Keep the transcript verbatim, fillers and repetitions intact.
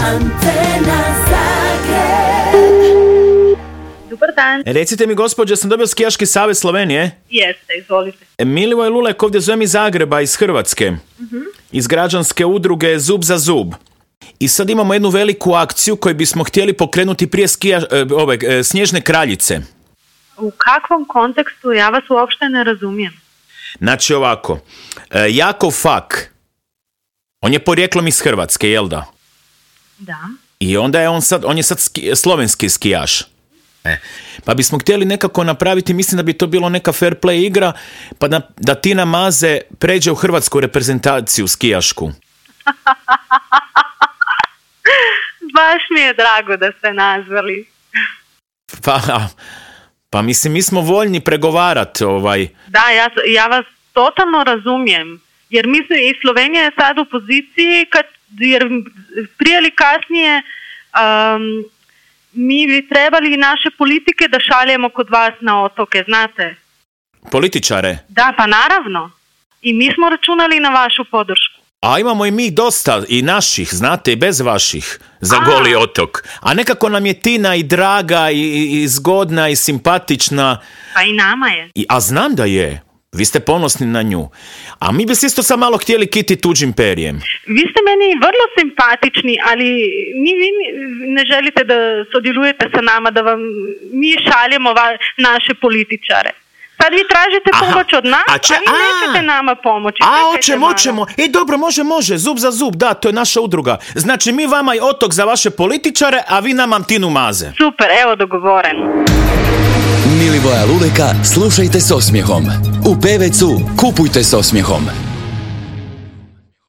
Antena Zagreb. Dobar dan. Recite mi, gospođo, sam dobio Skijaški savez Slovenije? Jeste, izvolite. Milivoj Lulek ovdje zovem iz Zagreba, iz Hrvatske. Uh-huh. Iz građanske udruge Zub za zub. I sad imamo jednu veliku akciju koju bismo htjeli pokrenuti prije skija, ove, Snježne kraljice. U kakvom kontekstu? Ja vas uopšte ne razumijem. Znači ovako, Jakov Fak, on je porijeklom iz Hrvatske, jel da? Da. I onda je on sad, on je sad ski, slovenski skijaš. E. Pa bismo htjeli nekako napraviti, mislim da bi to bilo neka fair play igra, pa da, da Tina Maze pređe u hrvatsku reprezentaciju skijašku. Baš mi je drago da ste nazvali. Pa, pa mislim, mi smo voljni pregovarati. Ovaj. Da, ja, ja vas totalno razumijem. Jer mislim, i Slovenija je sad u poziciji, kad, jer prije ili kasnije um, mi bi trebali naše politike da šaljemo kod vas na otoke, znate? Političare? Da, pa naravno. I mi smo računali na vašu podršku. A imamo i mi dosta, i naših, znate, i bez vaših, za a. Goli otok. A nekako nam je Tina i draga, i, i zgodna, i simpatična. Pa i nama je. I, a znam da je. Vi ste ponosni na nju. A mi bi se isto sad malo htjeli kiti tuđim perijem. Vi ste meni vrlo simpatični, ali mi vi ne želite da sudjelujete sa nama, da vam mi šaljemo va, naše političare. Sad vi tražite Aha. pomoć od nas, a, če, a vi a, nećete nama pomoći. A, oćemo, oćemo. E, dobro, može, može. Zub za zub, da, to je naša udruga. Znači, mi vama i otok za vaše političare, a vi nama Tinu Maze. Super, evo dogovoreno. Milivoja Luleka slušajte s osmijehom. U Pevecu kupujte s osmijehom.